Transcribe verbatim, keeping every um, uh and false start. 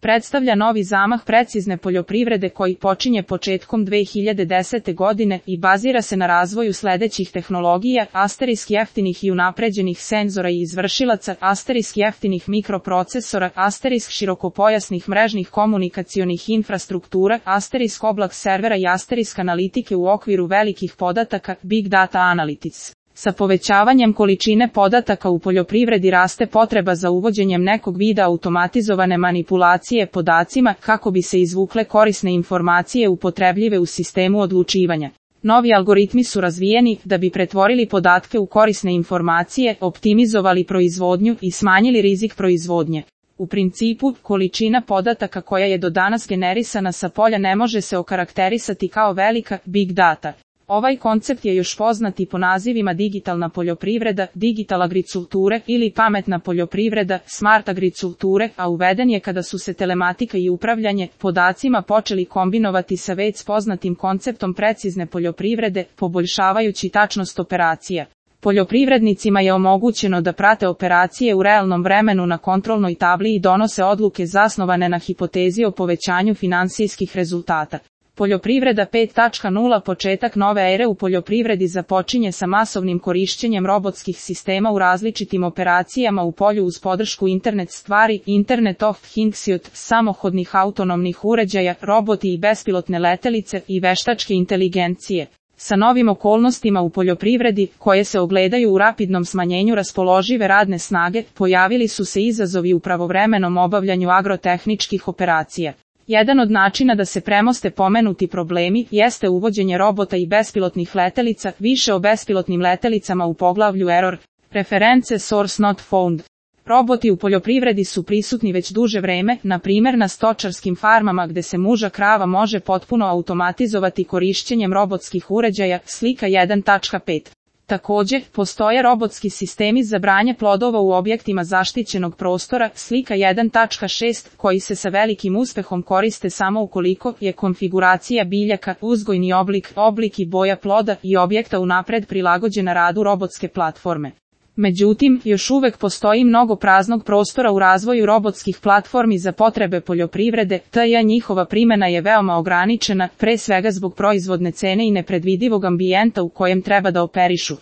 predstavlja novi zamah precizne poljoprivrede koji počinje početkom dve hiljade desete godine i bazira se na razvoju sledećih tehnologija, asterisk jeftinih i unapređenih senzora i izvršilaca, asterisk jeftinih mikroprocesora, asterisk širokopojasnih mrežnih komunikacionih infrastruktura, asterisk oblak servera i asterisk analitike u okviru velikih podataka, Big Data Analytics. Sa povećavanjem količine podataka u poljoprivredi raste potreba za uvođenjem nekog vida automatizovane manipulacije podacima kako bi se izvukle korisne informacije upotrebljive u sistemu odlučivanja. Novi algoritmi su razvijeni da bi pretvorili podatke u korisne informacije, optimizovali proizvodnju i smanjili rizik proizvodnje. U principu, količina podataka koja je do danas generisana sa polja ne može se okarakterisati kao velika, big data. Ovaj koncept je još poznat i po nazivima digitalna poljoprivreda, digital agriculture ili pametna poljoprivreda, smart agriculture, a uveden je kada su se telematika i upravljanje podacima počeli kombinovati sa već poznatim konceptom precizne poljoprivrede, poboljšavajući tačnost operacija. Poljoprivrednicima je omogućeno da prate operacije u realnom vremenu na kontrolnoj tabli i donose odluke zasnovane na hipotezi o povećanju finansijskih rezultata. Poljoprivreda pet točka nula Početak nove ere u poljoprivredi započinje sa masovnim korišćenjem robotskih sistema u različitim operacijama u polju uz podršku internet stvari, Internet of Things, samohodnih autonomnih uređaja, roboti i bespilotne letelice i veštačke inteligencije. Sa novim okolnostima u poljoprivredi, koje se ogledaju u rapidnom smanjenju raspoložive radne snage, pojavili su se izazovi u pravovremenom obavljanju agrotehničkih operacija. Jedan od načina da se premoste pomenuti problemi jeste uvođenje robota i bespilotnih letelica, više o bespilotnim letelicama u poglavlju Error, reference Source Not Found. Roboti u poljoprivredi su prisutni već duže vreme, na primjer na stočarskim farmama gde se muža krava može potpuno automatizovati korišćenjem robotskih uređaja, slika jedan točka pet. Također, postoje robotski sistemi za branje plodova u objektima zaštićenog prostora, slika jedan točka šest, koji se sa velikim uspehom koriste samo ukoliko je konfiguracija biljaka, uzgojni oblik, oblik i boja ploda i objekta unapred prilagođena radu robotske platforme. Međutim, još uvek postoji mnogo praznog prostora u razvoju robotskih platformi za potrebe poljoprivrede, te njihova primjena je veoma ograničena, pre svega zbog proizvodne cene i nepredvidivog ambijenta u kojem treba da operišu.